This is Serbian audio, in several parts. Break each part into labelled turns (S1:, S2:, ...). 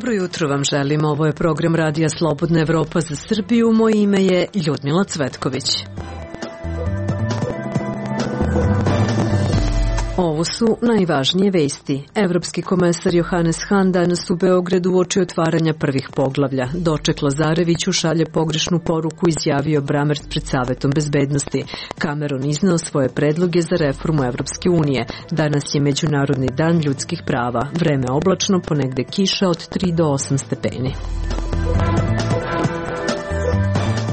S1: Dobro jutro vam želim. Ovo je program Radija Slobodna Evropa za Srbiju. Moje ime je Ljudmila Cvetković. Ovo su najvažnije vesti. Evropski komesar Johannes Hahn danas u Beogradu uoči otvaranja prvih poglavlja. Doček Lazareviću šalje pogrešnu poruku, izjavio Brammertz pred Savetom bezbednosti. Cameron izneo svoje predloge za reformu Evropske unije. Danas je Međunarodni dan ljudskih prava. Vreme oblačno, ponegde kiša od 3 do 8 stepeni.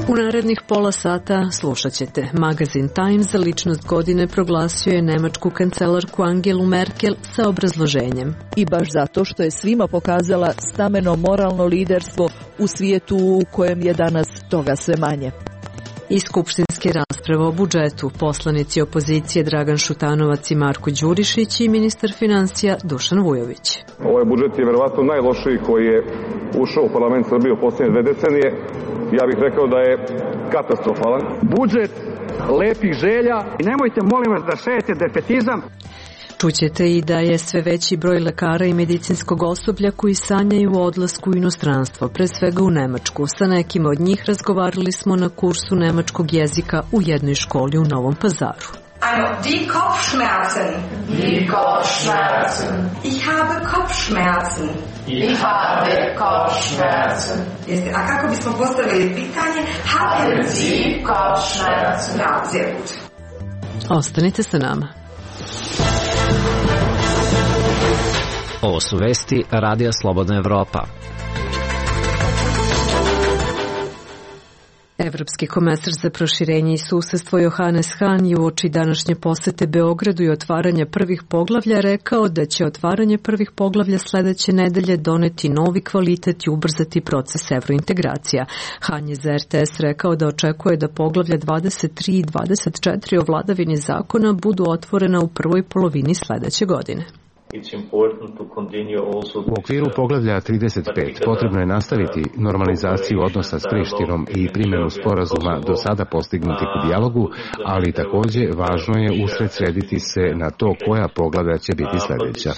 S1: U narednih pola sata slušat ćete. Magazin Time za ličnost godine proglasio je nemačku kancelarku Angelu Merkel sa obrazloženjem.
S2: I baš zato što je svima pokazala stameno moralno liderstvo u svijetu u kojem je danas toga sve manje.
S1: I skupštinske rasprave o budžetu, poslanici opozicije Dragan Šutanovac i Marko Đurišić i ministar financija Dušan Vujović.
S3: Ovaj budžet je verovatno najlošiji koji je ušao u parlament Srbije u posljednje 2 decenije. Ja bih rekao da je katastrofalan.
S4: Budžet lepih želja i nemojte molim vas da šejete defetizam.
S1: Čućete i da je sve veći broj lekara i medicinskog osoblja koji sanjaju o odlasku u inostranstvo, pre svega u Nemačku. Sa nekima od njih razgovarali smo na kursu nemačkog jezika u jednoj školi u Novom Pazaru.
S5: Also, die Kopfschmerzen.
S6: Die Kopfschmerzen.
S5: Ich habe Kopfschmerzen.
S6: Ich habe Kopfschmerzen.
S5: A kako bismo postavili pitanje? Haben Sie
S6: Kopfschmerzen?
S5: Ja, sehr gut.
S1: Ostanite sa nama.
S7: Ovo su vesti Radija Slobodna Evropa.
S1: Evropski komesar za proširenje i susedstvo Johannes Hahn je uoči današnje posete Beogradu i otvaranja prvih poglavlja rekao da će otvaranje prvih poglavlja sledeće nedelje doneti novi kvalitet i ubrzati proces evrointegracija. Hahn je za RTS rekao da očekuje da poglavlja 23 i 24 o vladavini zakona budu otvorena u prvoj polovini sledeće godine.
S8: U okviru poglavlja 35 potrebno je nastaviti normalizaciju odnosa s Prištinom i primjenu sporazuma do sada postignutih u dijalogu, ali takođe važno je usredsrediti se na to koja poglavlja će biti sledeća.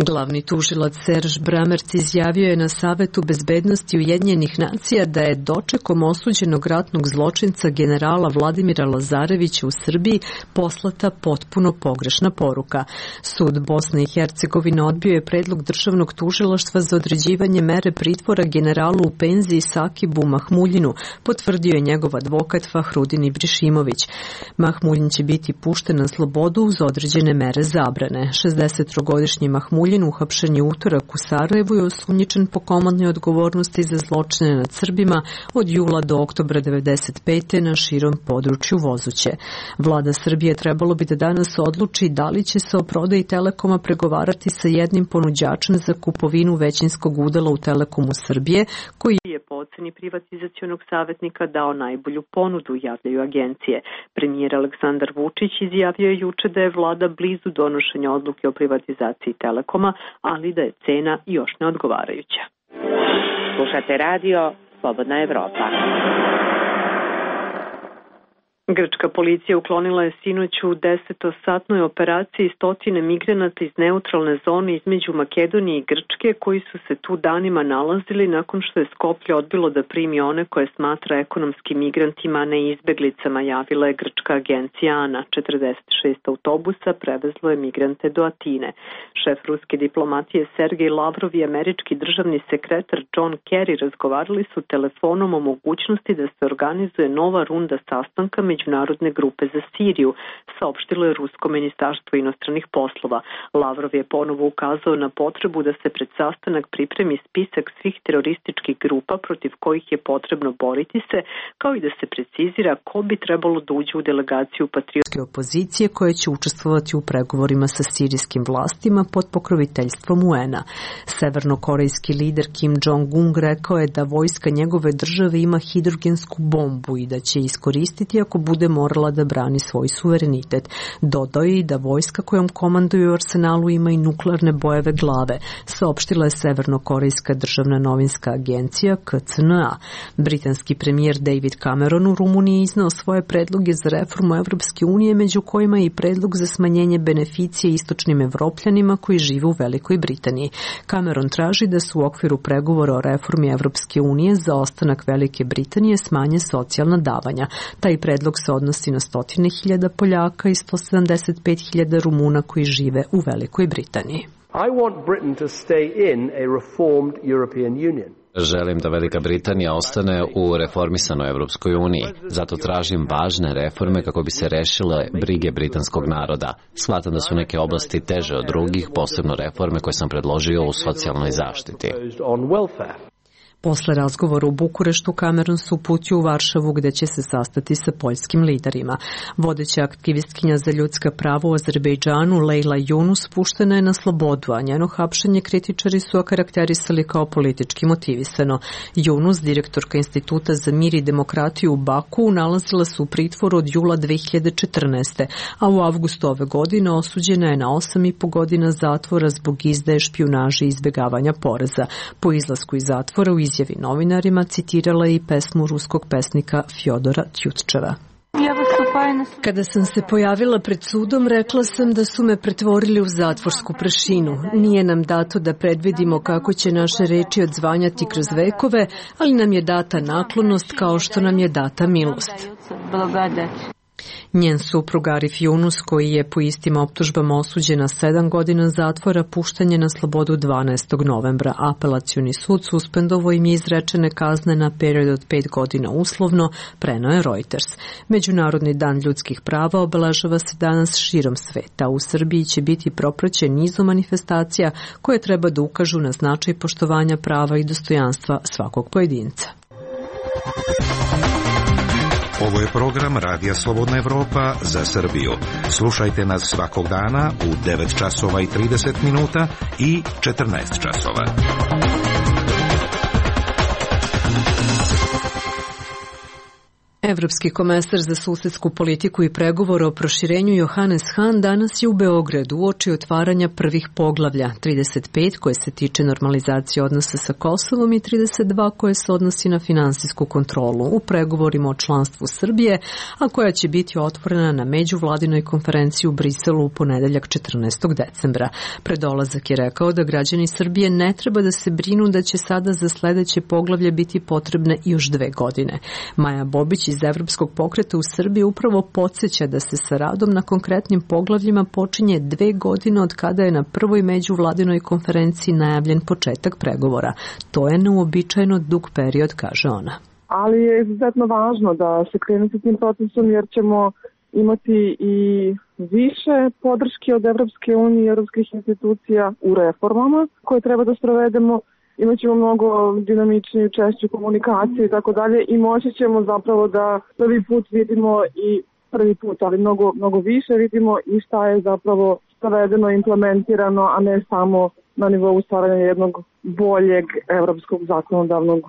S1: Glavni tužilac Serge Brammertz izjavio je na Savetu bezbednosti Ujedinjenih nacija da je dočekom osuđenog ratnog zločinca generala Vladimira Lazarevića u Srbiji poslata potpuno pogrešna poruka. Sud Bosne i Hercegovine odbio je predlog državnog tužilaštva za određivanje mere pritvora generalu u penziji Sakibu Mahmuljinu, potvrdio je njegov advokat Fahrudin Ibrišimović. Mahmuljin će biti pušten na slobodu uz određene mere zabrane. 63-godišnji Mahmuljin uhapšen je utorak u Sarajevu i osumnjičen po komandnoj odgovornosti za zločine nad Srbima od jula do oktobra 1995. na širom području Vozuće. Vlada Srbije trebalo bi da danas odluči da li će se o prodaji Telekoma pregovarati sa jednim ponuđačem za kupovinu većinskog udela u Telekomu Srbije, koji je po oceni privatizacionog savjetnika dao najbolju ponudu, javljaju agencije. Premijer Aleksandar Vučić izjavio je juče da je vlada blizu donošenja odluke o privatizaciji Telekoma, ali da je cena još neodgovarajuća.
S9: Slušate radio Slobodna Evropa.
S1: Grčka policija uklonila je sinoć u 10-satnoj operaciji 100 migranata iz neutralne zone između Makedonije i Grčke koji su se tu danima nalazili nakon što je Skoplje odbilo da primi one koje smatra ekonomskim migrantima, a ne izbeglicama, javila je grčka agencija ANA. 46 autobusa prevezlo je migrante do Atine. Šef ruske diplomatije Sergej Lavrov i američki državni sekretar John Kerry razgovarali su telefonom o mogućnosti da se organizuje nova runda sastanka Međunarodne grupe za Siriju, saopštilo je Rusko ministarstvo inostranih poslova. Lavrov je ponovo ukazao na potrebu da se pred sastanak pripremi spisak svih terorističkih grupa protiv kojih je potrebno boriti se, kao i da se precizira ko bi trebalo da uđe u delegaciju patriotske opozicije koja će učestvovati u pregovorima sa sirijskim vlastima pod pokroviteljstvom UN-a. Severnokorejski lider Kim Jong-un rekao je da vojska njegove države ima hidrogensku bombu i da će iskoristiti ako bude morala da brani svoj suverenitet. Dodao je i da vojska kojom komanduju u arsenalu ima i nuklearne bojeve glave, saopštila je Severnokorejska državna novinska agencija KCNA. Britanski premijer David Cameron u Rumuniji iznao svoje predloge za reformu Evropske unije, među kojima je i predlog za smanjenje beneficije istočnim evropljanima koji žive u Velikoj Britaniji. Cameron traži da se u okviru pregovora o reformi Evropske unije za ostanak Velike Britanije smanje socijalna davanja. Taj predlog se odnosi na 100.000 Poljaka i 175.000 Rumuna koji žive u Velikoj Britaniji.
S10: I want Britain to stay in a reformed European Union.
S7: Želim da Velika Britanija ostane u reformisanoj Evropskoj uniji. Zato tražim važne reforme kako bi se rešile brige britanskog naroda. Shvatam da su neke oblasti teže od drugih, posebno reforme koje sam predložio u socijalnoj zaštiti.
S1: Posle razgovora u Bukureštu, Cameron se uputio u Varšavu gde će se sastati sa poljskim liderima. Vodeća aktivistkinja za ljudska prava u Azerbejdžanu, Lejla Yunus, puštena je na slobodu, a njeno hapšenje kritičari su okarakterisali kao politički motivisano. Yunus, direktorka Instituta za mir i demokratiju u Baku, nalazila se u pritvoru od jula 2014. a u avgustu ove godine osuđena je na 8,5 godina zatvora zbog izdaje, špijunaže i izbjegavanja poreza. Po izlasku iz zatvora u izjavi novinarima citirala je i pesmu ruskog pesnika Fjodora Tjutčeva. Kada sam se pojavila pred sudom, rekla sam da su me pretvorili u zatvorsku prašinu. Nije nam dato da predvidimo kako će naše reči odzvanjati kroz vekove, ali nam je data naklonost kao što nam je data milost. Njen suprug Arif Yunus, koji je po istim optužbama osuđen na 7 godina zatvora, pušten je na slobodu 12. novembra. Apelacioni sud suspendovao im je izrečene kazne na period od 5 godina uslovno, preneo je Reuters. Međunarodni dan ljudskih prava obeležava se danas širom sveta. U Srbiji će biti propraćen nizom manifestacija koje treba da ukažu na značaj poštovanja prava i dostojanstva svakog pojedinca.
S11: Ovo je program Radija Slobodna Evropa za Srbiju. Slušajte nas svakog dana u 9 časova i 30 minuta i 14 časova.
S1: Evropski komesar za susedsku politiku i pregovore o proširenju Johannes Hahn danas je u Beogradu uoči otvaranja prvih poglavlja, 35 koje se tiče normalizacije odnosa sa Kosovom i 32 koje se odnosi na finansijsku kontrolu u pregovorima o članstvu Srbije, a koja će biti otvorena na međuvladinoj konferenciji u Briselu u ponedeljak 14. decembra. Pred dolazak je rekao da građani Srbije ne treba da se brinu da će sada za sledeće poglavlje biti potrebne još 2 godine. Maja Bobić iz Evropskog pokreta u Srbiji upravo podsjeća da se sa radom na konkretnim poglavljima počinje 2 godine od kada je na prvoj međuvladinoj konferenciji najavljen početak pregovora. To je neuobičajeno dug period, kaže ona.
S12: Ali je izuzetno važno da se krene sa tim procesom jer ćemo imati i više podrške od Evropske unije i evropskih institucija u reformama koje treba da sprovedemo. Imaćemo mnogo dinamičniju, češću komunikaciju i tako dalje i moći ćemo zapravo da prvi put vidimo ali mnogo više vidimo i šta je zapravo sprovedeno, implementirano, a ne samo na nivou stvaranja jednog boljeg evropskog zakonodavnog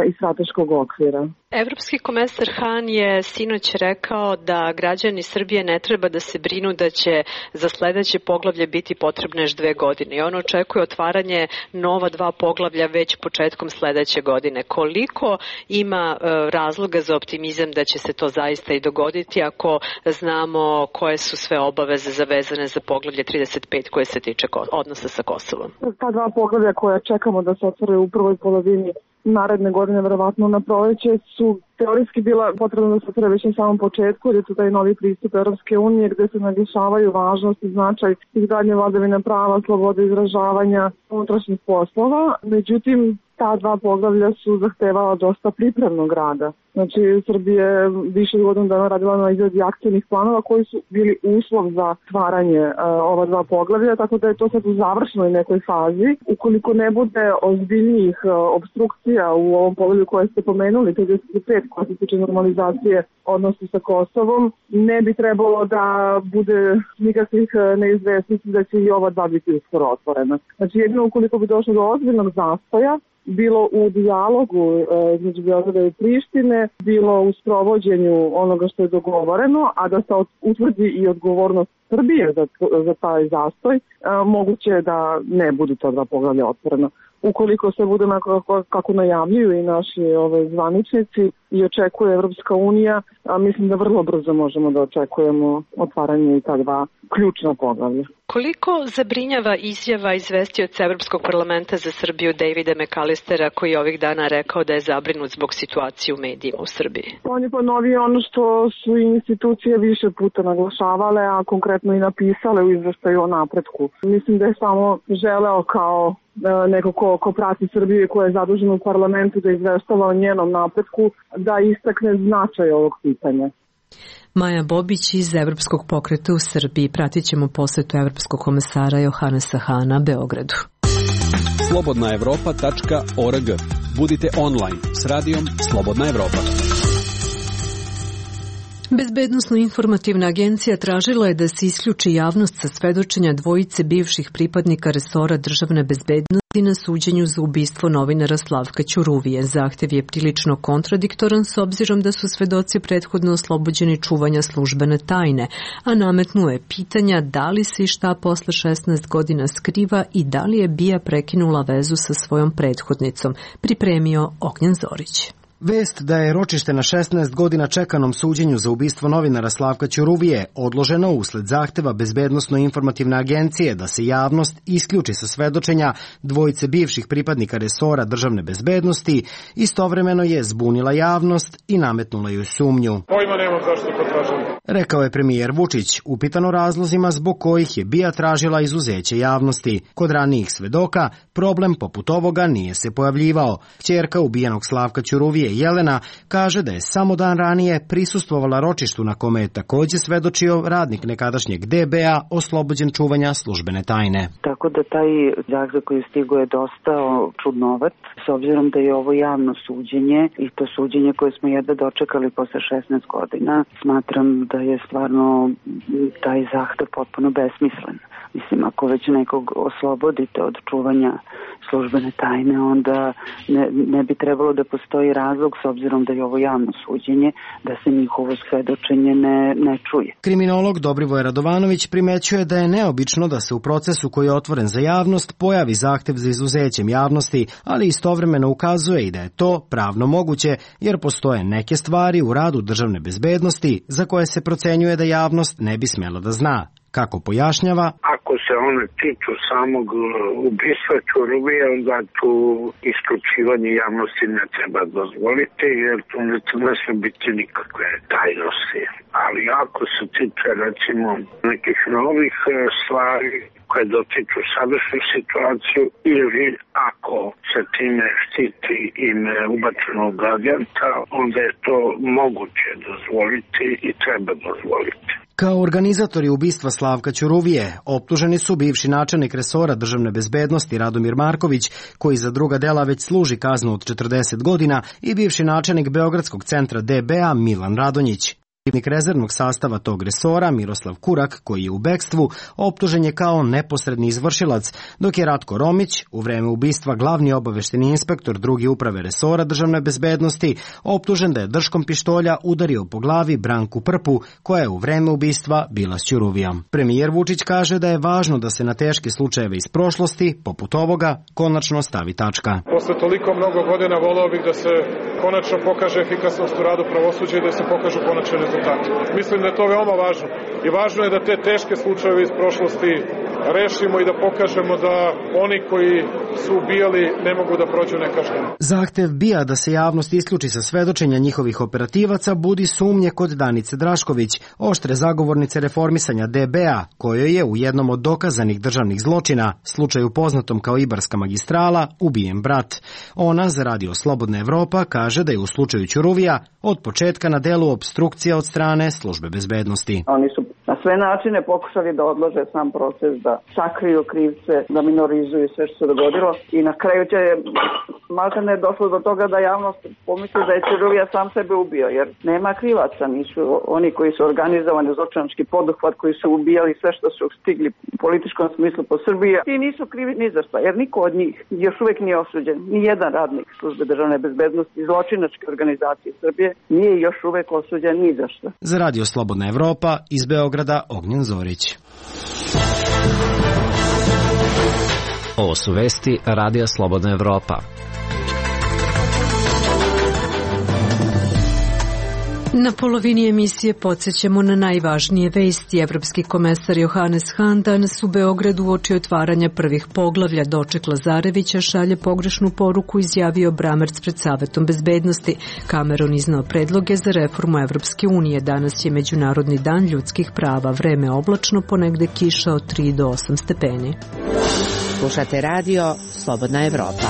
S12: i strateškog okvira.
S1: Evropski komesar Hahn je sinoć rekao da građani Srbije ne treba da se brinu da će za sledeće poglavlje biti potrebne još 2 godine. I on očekuje otvaranje nova 2 poglavlja već početkom sledeće godine. Koliko ima razloga za optimizam da će se to zaista i dogoditi ako znamo koje su sve obaveze zavezane za poglavlje 35 koje se tiče odnosa sa Kosovom?
S12: Ta 2 poglavlja koja čekamo da se otvore u prvoj polovini naredne godine, verovatno na proleće, su teorijski bila potrebno da se otvore već na samom početku, jer je to taj novi pristup Evropske unije gde se naglašavaju važnost i značaj tih dalje vladavine prava, slobode izražavanja, unutrašnjih poslova. Međutim, ta 2 poglavlja su zahtevala dosta pripremnog rada. Znači, Srbija je više od godinu dana radila na izradi akcijnih planova koji su bili uslov za stvaranje ova 2 poglavlja, tako da je to sad u završnoj nekoj fazi. Ukoliko ne bude ozbiljnijih obstrukcija u ovom poglavlju koje ste pomenuli, 35 koja se tiče normalizacije odnosa sa Kosovom, ne bi trebalo da bude nikakvih neizvesnosti da će i ova 2 biti uskoro otvorena. Znači, jedino ukoliko bi došlo do ozbiljnog zastoja bilo u dijalogu između Beograda i Prištine, bilo u sprovođenju onoga što je dogovoreno, a da se utvrdi i odgovornost Srbije za taj zastoj, moguće je da ne budu ta dva poglavlja otvorena. Ukoliko se bude kako najavljuju i naši zvaničnici i očekuje Evropska unija, mislim da vrlo brzo možemo da očekujemo otvaranje i ta dva ključna poglavlja.
S1: Koliko zabrinjava izjava izvestioca Evropskog parlamenta za Srbiju Davida McAllistera, koji je ovih dana rekao da je zabrinut zbog situacije u medijima u Srbiji?
S12: On je ponovio ono što su institucije više puta naglašavale, a konkretno i napisale u izveštaju o napretku. Mislim da je samo želeo kao neko ko prati Srbiju i ko je zadužen u parlamentu da izveštava o njenom napretku, da istakne značaj ovog pitanja.
S1: Maja Bobić iz Evropskog pokreta u Srbiji. Pratit ćemo posetu Evropskog komesara Johanesa Hana Beogradu.
S13: slobodnaevropa.org. Budite online s radijom Slobodna Evropa.
S1: Bezbednosno-informativna agencija tražila je da se isključi javnost sa svedočenja dvojice bivših pripadnika resora državne bezbednosti na suđenju za ubistvo novinara Slavka Ćuruvije. Zahtev je prilično kontradiktoran s obzirom da su svedoci prethodno oslobođeni čuvanja službene tajne, a nametnuo je pitanja da li se i šta posle 16 godina skriva i da li je BIA prekinula vezu sa svojom prethodnicom, pripremio Ognjen Zorić.
S14: Vest da je ročište na 16 godina čekanom suđenju za ubistvo novinara Slavka Ćuruvije odloženo usled zahteva Bezbednosno-informativne agencije da se javnost isključi sa svedočenja dvojice bivših pripadnika resora državne bezbednosti, istovremeno je zbunila javnost i nametnula joj sumnju.
S15: Pojma nemam zašto to tražim.
S14: Rekao je premijer Vučić, upitano razlozima zbog kojih je BIA tražila izuzeće javnosti. Kod ranijih svedoka problem poput ovoga nije se pojavljivao. Kćerka ubijenog Slavka Ćuruvije Jelena kaže da je samo dan ranije prisustvovala ročištu na kome je takođe svedočio radnik nekadašnjeg DBA oslobođen čuvanja službene tajne.
S16: Tako da taj zahtev koji stigo je dosta čudnovat, s obzirom da je ovo javno suđenje i to suđenje koje smo jedva dočekali posle 16 godina, smatram da je stvarno taj zahtev potpuno besmislen. Mislim, ako već nekog oslobodite od čuvanja službene tajne, onda ne bi trebalo da postoji razlog, s obzirom da je ovo javno suđenje, da se njihovo svedočenje ne čuje.
S14: Kriminolog Dobrivoje Radovanović primećuje da je neobično da se u procesu koji je otvoren za javnost pojavi zahtev za izuzećem javnosti, ali istovremeno ukazuje i da je to pravno moguće, jer postoje neke stvari u radu državne bezbednosti za koje se procenjuje da javnost ne bi smela da zna. Kako pojašnjava?
S17: Ako se one tiču samog ubistva Ćuruvije, onda tu isključivanje javnosti ne treba dozvoliti, jer tu ne smije biti nikakve tajnosti. Ali ako se tiče, recimo, nekih novih stvari koje dotiču sadašnju situaciju, ili ako se time štiti ime ubačenog agenta, onda je to moguće dozvoliti i treba dozvoliti.
S14: Kao organizatori ubistva Slavka Ćuruvije optuženi su bivši načelnik resora državne bezbednosti Radomir Marković, koji za druga dela već služi kaznu od 40 godina, i bivši načelnik Beogradskog centra DBA Milan Radonjić. Protivnik rezervnog sastava tog resora, Miroslav Kurak, koji je u bekstvu, optužen je kao neposredni izvršilac, dok je Ratko Romić, u vreme ubistva glavni obavešteni inspektor druge uprave resora državne bezbednosti, optužen da je držkom pištolja udario po glavi Branku Prpu, koja je u vreme ubistva bila s Ćuruvijom. Premijer Vučić kaže da je važno da se na teške slučajeve iz prošlosti, poput ovoga, konačno stavi tačka.
S15: Posle toliko mnogo godina voleo bih da se konačno pokaže efikasnost u radu pravosuđa i da se pokažu konačne rezultate. Mislim da je to veoma važno i važno je da te teške slučajeve iz prošlosti rešimo i da pokažemo da oni koji su ubijali ne mogu da prođu nekažnjeno.
S14: Zahtev BIA da se javnost isključi sa svedočenja njihovih operativaca budi sumnje kod Danice Drašković, oštre zagovornice reformisanja DBA, kojoj je u jednom od dokazanih državnih zločina, slučaju poznatom kao Ibarska magistrala, ubijen brat. Ona za Radio Slobodna Evropa kaže da je u slučaju Ćuruvija od početka na delu opstrukcija od strane službe bezbednosti.
S16: Oni su na sve načine pokušali da odlože sam proces, da sakriju krivce, da minorizuju sve što se dogodilo i na kraju će
S18: malta ne je došlo do toga da javnost pomisli da je Ćuruvija sam sebe ubio, jer nema krivaca, nisu oni koji su organizovani zločinački poduhvat, koji su ubijali sve što su stigli u političkom smislu po Srbiji. I nisu krivi ni za šta, jer niko od njih još uvek nije osuđen. Ni jedan radnik službe državne bezbednosti zločinačke organizacije Srbije nije još uvek osuđen ni za šta.
S14: Za Radio Slobodna Evropa iz Beograda Ognjen Zorić.
S7: Ovo su vesti Radija Slobodna Evropa.
S1: Na polovini emisije podsjećamo na najvažnije vesti. Evropski komesar Johannes Hahn danas u Beogradu uoči otvaranja prvih poglavlja doček Lazarevića šalje pogrešnu poruku, izjavio Bramerc pred Savetom bezbednosti. Cameron iznao predloge za reformu Evropske unije. Danas je Međunarodni dan ljudskih prava. Vreme oblačno, ponegde kiša od 3 do 8 stepeni.
S9: Slušate radio Slobodna Evropa.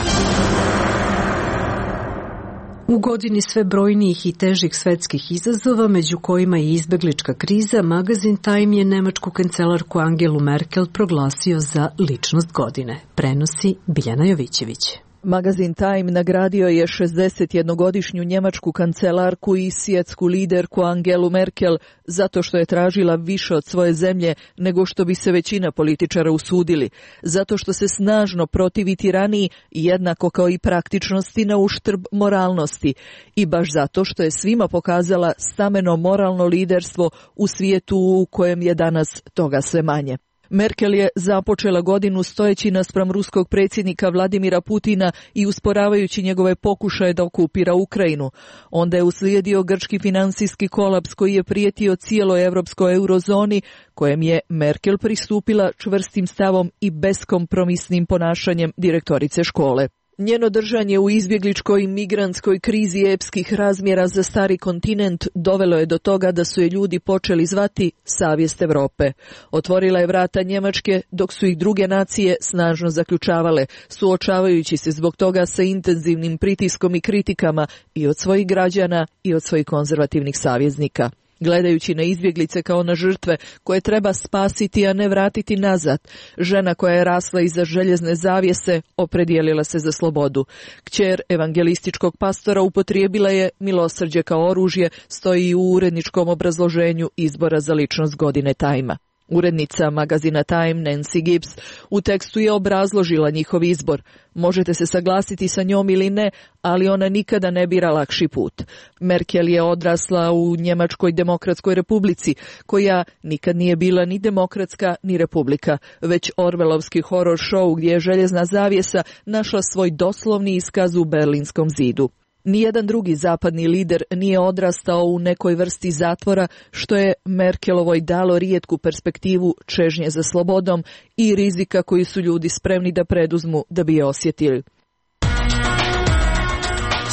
S1: U godini sve brojnijih i težih svetskih izazova, među kojima i izbeglička kriza, magazin Time je nemačku kancelarku Angelu Merkel proglasio za ličnost godine. Prenosi Biljana Jovićević.
S2: Magazin Time nagradio je 61-godišnju njemačku kancelarku i svjetsku liderku Angelu Merkel zato što je tražila više od svoje zemlje nego što bi se većina političara usudili, zato što se snažno protivi tiraniji jednako kao i praktičnosti na uštrb moralnosti i baš zato što je svima pokazala stameno moralno liderstvo u svijetu u kojem je danas toga sve manje. Merkel je započela godinu stojeći naspram ruskog predsjednika Vladimira Putina i usporavajući njegove pokušaje da okupira Ukrajinu. Onda je uslijedio grčki finansijski kolaps koji je prijetio cijeloj evropskoj eurozoni, kojem je Merkel pristupila čvrstim stavom i beskompromisnim ponašanjem direktorice škole. Njeno držanje u izbjegličkoj i migrantskoj krizi epskih razmjera za stari kontinent dovelo je do toga da su je ljudi počeli zvati savjest Evrope. Otvorila je vrata Njemačke dok su ih druge nacije snažno zaključavale, suočavajući se zbog toga sa intenzivnim pritiskom i kritikama i od svojih građana i od svojih konzervativnih saveznika. Gledajući na izbjeglice kao na žrtve koje treba spasiti, a ne vratiti nazad, žena koja je rasla iza željezne zavjese opredijelila se za slobodu. Kćer evangelističkog pastora upotrijebila je milosrđe kao oružje, stoji u uredničkom obrazloženju izbora za ličnost godine Time-a. Urednica magazina Time, Nancy Gibbs, u tekstu je obrazložila njihov izbor. Možete se saglasiti sa njom ili ne, ali ona nikada ne bira lakši put. Merkel je odrasla u Njemačkoj demokratskoj republici, koja nikad nije bila ni demokratska ni republika, već orvelovski horor show gdje je željezna zavjesa našla svoj doslovni iskaz u Berlinskom zidu. Nijedan drugi zapadni lider nije odrastao u nekoj vrsti zatvora, što je Merkelovoj dalo rijetku perspektivu čežnje za slobodom i rizika koji su ljudi spremni da preduzmu da bi je osjetili.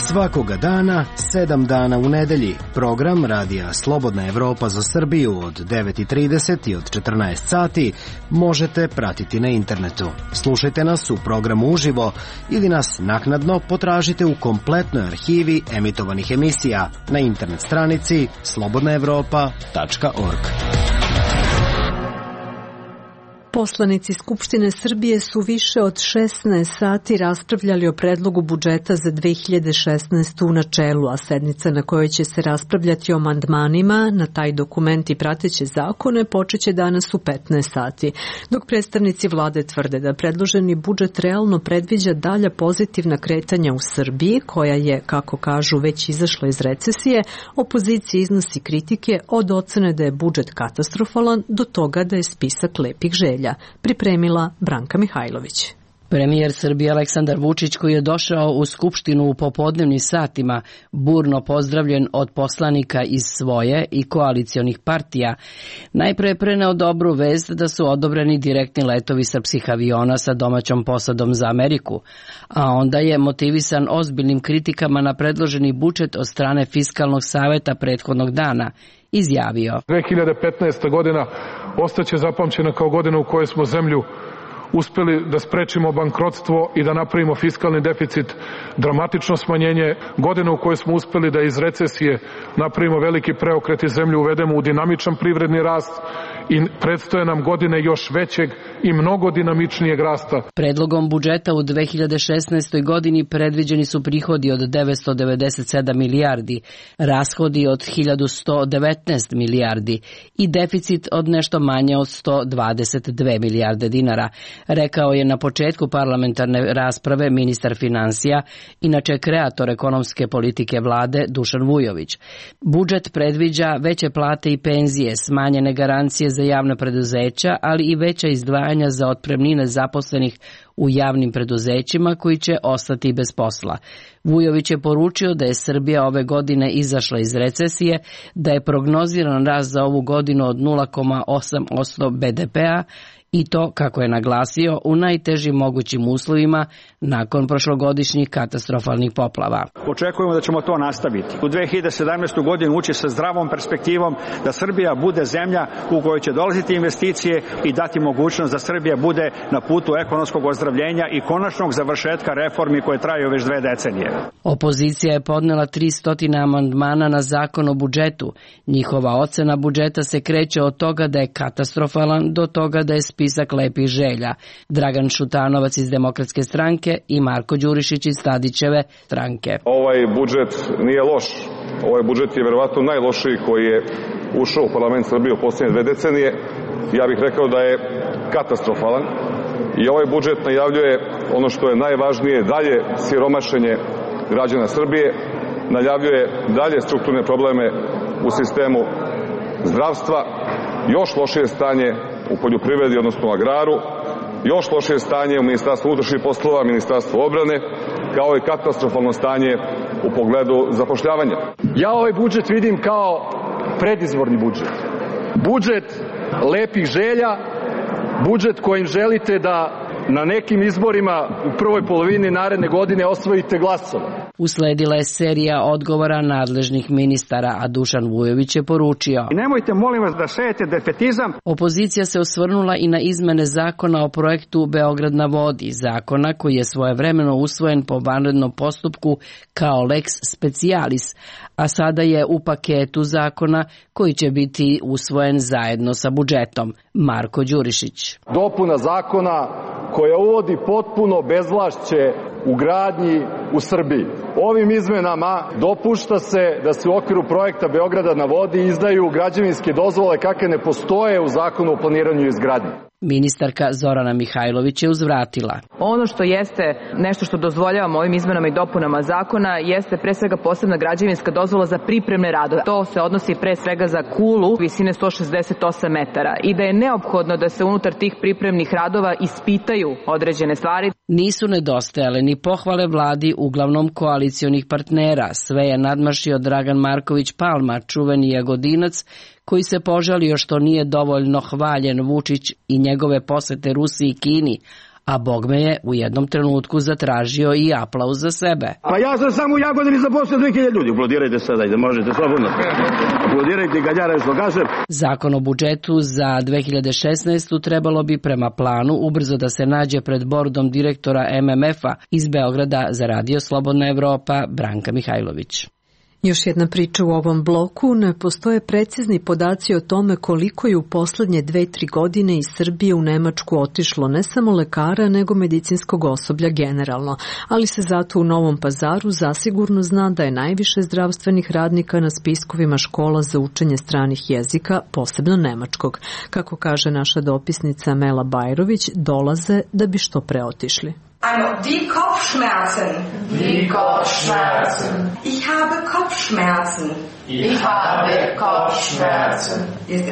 S14: Svakoga dana, 7 dana u nedelji, program Radija Slobodna Evropa za Srbiju od 9:30 i od 14 sati možete pratiti na internetu. Slušajte nas u programu uživo ili nas naknadno potražite u kompletnoj arhivi emitovanih emisija na internet stranici slobodnaevropa.org.
S1: Poslanici Skupštine Srbije su više od 16 sati raspravljali o predlogu budžeta za 2016. u načelu, a sednica na kojoj će se raspravljati o amandmanima na taj dokument i prateće zakone počeće danas u 15 sati. Dok predstavnici vlade tvrde da predloženi budžet realno predviđa dalja pozitivna kretanja u Srbiji, koja je, kako kažu, već izašla iz recesije, opozicija iznosi kritike od ocene da je budžet katastrofalan do toga da je spisak lepih želja. Pripremila Branka Mihajlović.
S19: Premijer Srbije Aleksandar Vučić, koji je došao u Skupštinu u popodnevnim satima, burno pozdravljen od poslanika iz svoje i koalicionih partija, najpre je preneo dobru vest da su odobreni direktni letovi srpskih aviona sa domaćom posadom za Ameriku, a onda je motivisan ozbiljnim kritikama na predloženi budžet od strane Fiskalnog saveta prethodnog dana izjavio:
S15: 2015. godina ostaće zapamćena kao godina u kojoj smo zemlju uspeli da sprečimo bankrotstvo i da napravimo fiskalni deficit, dramatično smanjenje, godina u kojoj smo uspeli da iz recesije napravimo veliki preokret i zemlju uvedemo u dinamičan privredni rast i predstoje nam godine još većeg i mnogo dinamičnijeg rasta.
S19: Predlogom budžeta u 2016. godini predviđeni su prihodi od 997 milijardi, rashodi od 1119 milijardi i deficit od nešto manje od 122 milijarde dinara, rekao je na početku parlamentarne rasprave ministar finansija, inače kreator ekonomske politike vlade Dušan Vujović. Budžet predviđa veće plate i penzije, smanjene garancije za javna preduzeća, ali i veća izdvajanja za otpremnine zaposlenih u javnim preduzećima koji će ostati bez posla. Vujović je poručio da je Srbija ove godine izašla iz recesije, da je prognoziran rast za ovu godinu od 0,8% BDP-a i to, kako je naglasio, u najtežim mogućim uslovima nakon prošlogodišnjih katastrofalnih poplava.
S20: Očekujemo da ćemo to nastaviti. U 2017. godinu ući sa zdravom perspektivom da Srbija bude zemlja u kojoj će dolaziti investicije i dati mogućnost da Srbija bude na putu ekonomskog ozdravljenja i konačnog završetka reformi koje traju već 2 decenije.
S19: Opozicija je podnela 300 amandmana na zakon o budžetu. Njihova ocena budžeta se kreće od toga da je katastrofalan do toga da je spisak lepih želja. Dragan Šutanovac iz Demokratske stranke i Marko Đurišić iz Tadićeve stranke.
S3: Ovaj budžet nije loš. Ovaj budžet je verovatno najlošiji koji je ušao u parlament Srbije u posljednje 2 decenije. Ja bih rekao da je katastrofalan i ovaj budžet najavljuje ono što je najvažnije, dalje siromašenje građana Srbije, najavljuje dalje strukturne probleme u sistemu zdravstva, još lošije stanje u poljoprivredi, odnosno agraru, još lošije stanje u Ministarstvu unutrašnjih poslova, Ministarstvu odbrane, kao i katastrofalno stanje u pogledu zapošljavanja.
S21: Ja ovaj budžet vidim kao predizborni budžet. Budžet lepih želja, budžet kojim želite da na nekim izborima u prvoj polovini naredne godine osvojite glasove.
S19: Usledila je serija odgovora nadležnih ministara, a Dušan Vujović je poručio:
S20: Nemojte, molim vas, da sejete defetizam.
S19: Opozicija se osvrnula i na izmene zakona o projektu Beograd na vodi, zakona koji je svojevremeno usvojen po vanrednom postupku kao lex specialis, a sada je u paketu zakona koji će biti usvojen zajedno sa budžetom. Marko Đurišić.
S21: Dopuna zakona koja uvodi potpuno bezvlašće u gradnji u Srbiji. Ovim izmenama dopušta se da se u okviru projekta Beograda na vodi izdaju građevinske dozvole kakve ne postoje u zakonu o planiranju i izgradnji.
S19: Ministarka Zorana Mihajlović je uzvratila.
S22: Ono što jeste nešto što dozvoljavamo ovim izmenama i dopunama zakona jeste pre svega posebna građevinska dozvola za pripremne radove. To se odnosi pre svega za kulu visine 168 metara i da je neophodno da se unutar tih pripremnih radova ispitaju određene stvari.
S19: Nisu nedostajale ni pohvale vladi uglavnom koalicionih partnera. Sve je nadmašio Dragan Marković Palma, čuveni Jagodinac, koji se požalio što nije dovoljno hvaljen Vučić i njegove posete Rusiji i Kini, a bogme je u jednom trenutku zatražio i aplauz za sebe.
S23: Pa ja sam samo u Jagodini zaposlio 2000 ljudi. Aplodirajte sada i da možete slobodno. Aplodirajte kad ja nešto kažem.
S19: Zakon o budžetu za 2016. trebalo bi prema planu ubrzo da se nađe pred bordom direktora MMF-a iz Beograda za Radio Slobodna Evropa Branka Mihajlović.
S1: Još jedna priča u ovom bloku. Ne postoje precizni podaci o tome koliko je u poslednje 2-3 godine iz Srbije u Nemačku otišlo ne samo lekara, nego medicinskog osoblja generalno. Ali se zato u Novom Pazaru zasigurno zna da je najviše zdravstvenih radnika na spiskovima škola za učenje stranih jezika, posebno nemačkog. Kako kaže naša dopisnica Mela Bajrović, dolaze da bi što pre otišli.
S5: Also, die Kopfschmerzen.
S6: Die Kopfschmerzen.
S5: Ich habe Kopfschmerzen.
S6: Ich habe Kopfschmerzen.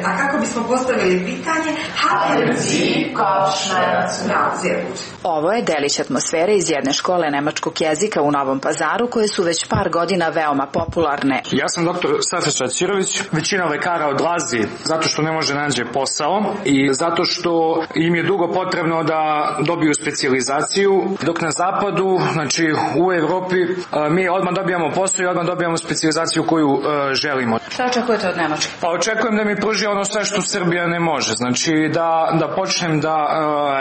S5: A kako bismo postavili pitanje?
S6: Haben Sie Kopfschmerzen?
S5: Ja, sehr gut.
S24: Ovo je delić atmosfere iz jedne škole nemačkog jezika u Novom Pazaru koje su već par godina veoma popularne.
S25: Ja sam doktor Saša Ćirović. Većina lekara odlazi zato što ne može naći posao i zato što im je dugo potrebno da dobiju specijalizaciju dok na zapadu, znači u Evropi, mi odmah dobijamo posao i odmah dobijamo specijalizaciju koju želimo.
S24: Šta očekujete od Nemačke?
S25: Pa očekujem da mi pruži ono sve što Srbija ne može. Znači da počnem da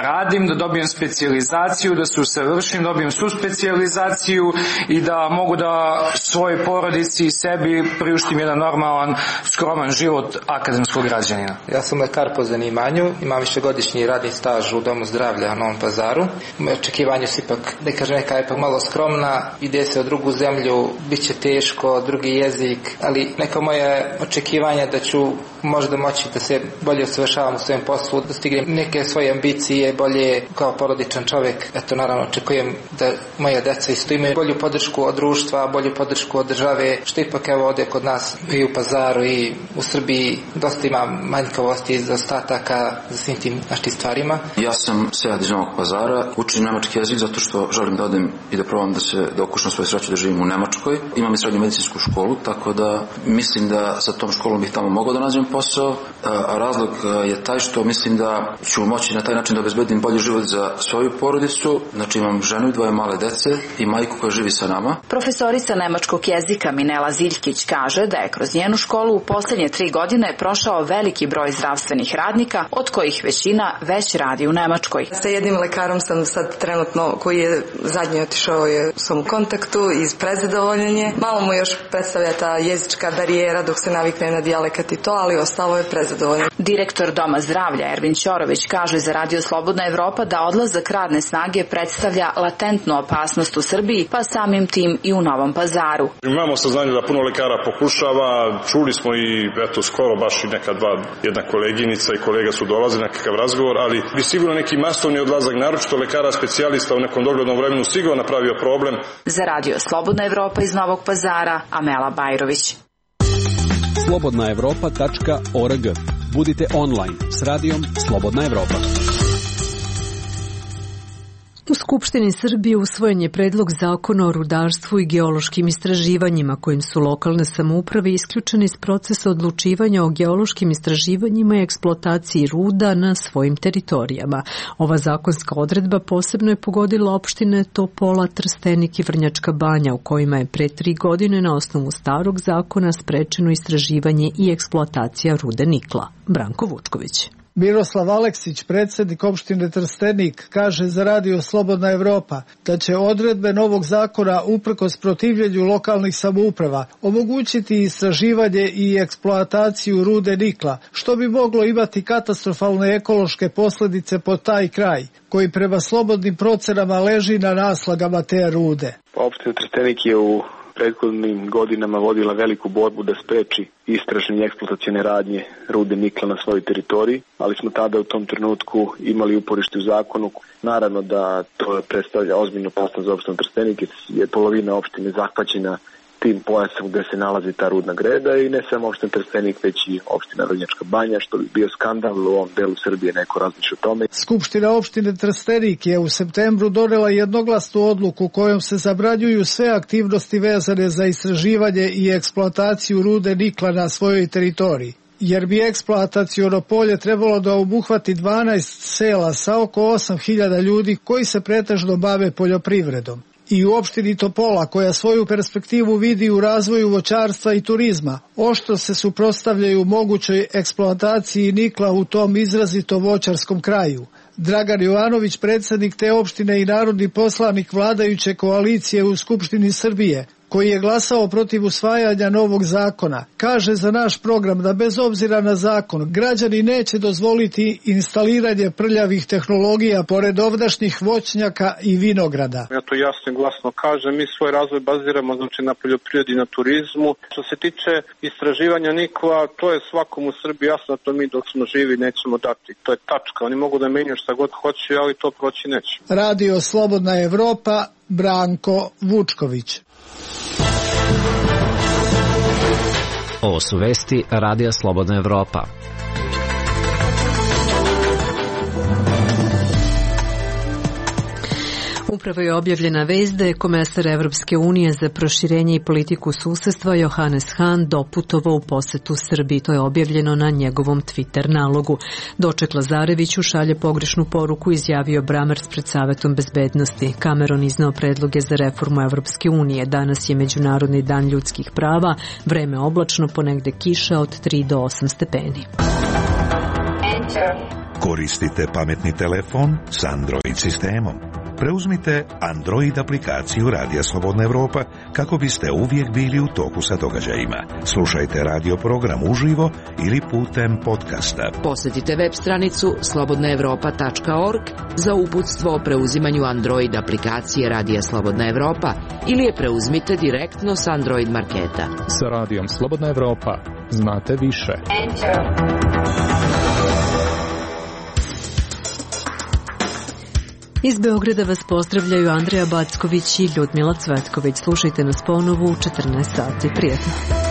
S25: radim, da dobijem specijalizaciju, da se usavršim, dobijem svu specijalizaciju i da mogu da svojoj porodici i sebi priuštim jedan normalan, skroman život akademskog građanina.
S4: Ja sam lekar po zanimanju, imam višegodišnji radni staž u Domu zdravlja u Novom Pazaru. Moje očekivanje su ipak, da kažem, neka ipak malo skromna, ide se u drugu zemlju, bit će teško, drugi jezik, ali neka moje očekivanja da ću možda moći da se bolje usavršavam u svojem poslu, da stignem neke svoje ambicije, bolje kao porodičan čovjek. Eto, naravno, očekujem da moja deca isto imaju bolju podršku od društva, bolju podršku od države, što ipak evo ovdje kod nas i u Pazaru i u Srbiji dosta ima manjkavosti i zaostataka za svim tim našim stvarima.
S8: Ja sam Sead iz Novog Pazara, učim nemački jezik zato što želim da odem i da probam da okušam svoju sreću da živim u Nemačkoj. Imam i srednju medicinsku školu, tako da mislim da sa tom školom bih tamo mogao da nađem posao, a razlog je taj što mislim da ću moći na taj način da obezbedim bolji život za svoju porodicu. Znači imam ženu i dvoje male dece i majku koja živi sa nama.
S24: Profesorica nemačkog jezika Minela Ziljkić kaže da je kroz njenu školu u posljednje 3 godine prošao veliki broj zdravstvenih radnika, od kojih većina već radi u Nemačkoj.
S10: Sa jednim lekarom sam sad trenutno, koji je zadnji otišao, sam u kontaktu iz prezadovoljenje. Malo mu još predstavlja ta jezička barijera dok se navikne na dijalekat i to, ali ostalo je prezadovoljno.
S24: Direktor Doma zdravlja Ervin Ćorović kaže za Radio Slobodna Evropa da odlazak radne snage predstavlja latentnu opasnost u Srbiji, pa samim tim i u Novom Pazaru.
S3: Imamo saznanje da puno lekara pokušava, čuli smo i skoro baš i jedna koleginica i kolega su dolazili na nekakav razgovor, ali bi sigurno neki masovni odlazak, naročito lekara specijalista u nekom doglednom vremenu sigurno napravio problem.
S24: Za Radio Slobodna Evropa iz Novog Pazara, Amela Bajrović.
S13: slobodnaevropa.org. Budite online s radijom Slobodna Evropa.
S1: U Skupštini Srbije usvojen je predlog zakona o rudarstvu i geološkim istraživanjima kojim su lokalne samouprave isključene iz procesa odlučivanja o geološkim istraživanjima i eksploataciji ruda na svojim teritorijama. Ova zakonska odredba posebno je pogodila opštine Topola, Trstenik i Vrnjačka Banja, u kojima je pre 3 godine na osnovu starog zakona sprečeno istraživanje i eksploatacija rude nikla. Branko Vučković.
S11: Miroslav Aleksić, predsjednik opštine Trstenik, kaže za Radio Slobodna Evropa da će odredbe novog zakona uprkos protivljenju lokalnih samouprava omogućiti istraživanje i eksploataciju rude nikla, što bi moglo imati katastrofalne ekološke posljedice po taj kraj, koji prema slobodnim procenama leži na naslagama te rude.
S12: Opština Trstenik je u prethodnim godinama vodila veliku borbu da spreči istražne i eksploatacione radnje rude nikla na svojoj teritoriji, ali smo tada u tom trenutku imali uporište u zakonu. Naravno da to predstavlja ozbiljnu opasnost za opštinu Trstenik, jer polovina opštine zahvaćena tim pojasom gde se nalazi ta rudna greda i ne samo opština Trstenik, već i opština Vrnjačka Banja, što bi bio skandal u ovom delu Srbije, neko razmišlja o tome.
S11: Skupština opštine Trstenik je u septembru donela jednoglasnu odluku kojom se zabranjuju sve aktivnosti vezane za istraživanje i eksploataciju rude nikla na svojoj teritoriji, jer bi eksploataciono polje trebalo da obuhvati 12 sela sa oko 8.000 ljudi koji se pretežno bave poljoprivredom. I u opštini Topola, koja svoju perspektivu vidi u razvoju voćarstva i turizma, oštro se suprotstavljaju mogućoj eksploataciji nikla u tom izrazito voćarskom kraju. Dragan Jovanović, predsjednik te opštine i narodni poslanik vladajuće koalicije u Skupštini Srbije, koji je glasao protiv usvajanja novog zakona, kaže za naš program da bez obzira na zakon građani neće dozvoliti instaliranje prljavih tehnologija pored ovdašnjih voćnjaka i vinograda.
S15: Ja to jasno i glasno kažem, mi svoj razvoj baziramo na poljoprivredi i na turizmu. Što se tiče istraživanja nikla, to je svakom u Srbiji jasno, to mi dok smo živi nećemo dati. To je tačka, oni mogu da menjaju šta god hoće, ali to proći neće.
S11: Radio Slobodna Evropa, Branko Vučković.
S7: Ovo su vesti Radija Slobodna Evropa.
S1: Upravo je objavljena vest da je komesar Evropske unije za proširenje i politiku susedstva Johannes Hahn doputovao u posetu Srbiji. To je objavljeno na njegovom Twitter nalogu. Doček Lazareviću šalje pogrešnu poruku, izjavio Brammertz pred Savetom bezbednosti. Cameron izneo predloge za reformu Evropske unije. Danas je Međunarodni dan ljudskih prava, vreme oblačno, ponegde kiša od 3 do 8 stepeni.
S2: Koristite pametni telefon s Android sistemom. Preuzmite Android aplikaciju Radija Slobodna Evropa kako biste uvijek bili u toku sa događajima. Slušajte radio program uživo ili putem podcasta.
S9: Posjetite web stranicu slobodnaevropa.org za uputstvo o preuzimanju Android aplikacije Radija Slobodna Evropa ili je preuzmite direktno s Android marketa.
S16: Sa Radijom Slobodna Evropa znate više.
S1: Iz Beograda vas pozdravljaju Andreja Backović i Ljudmila Cvetković. Slušajte nas ponovo u 14 sati. Prijetno.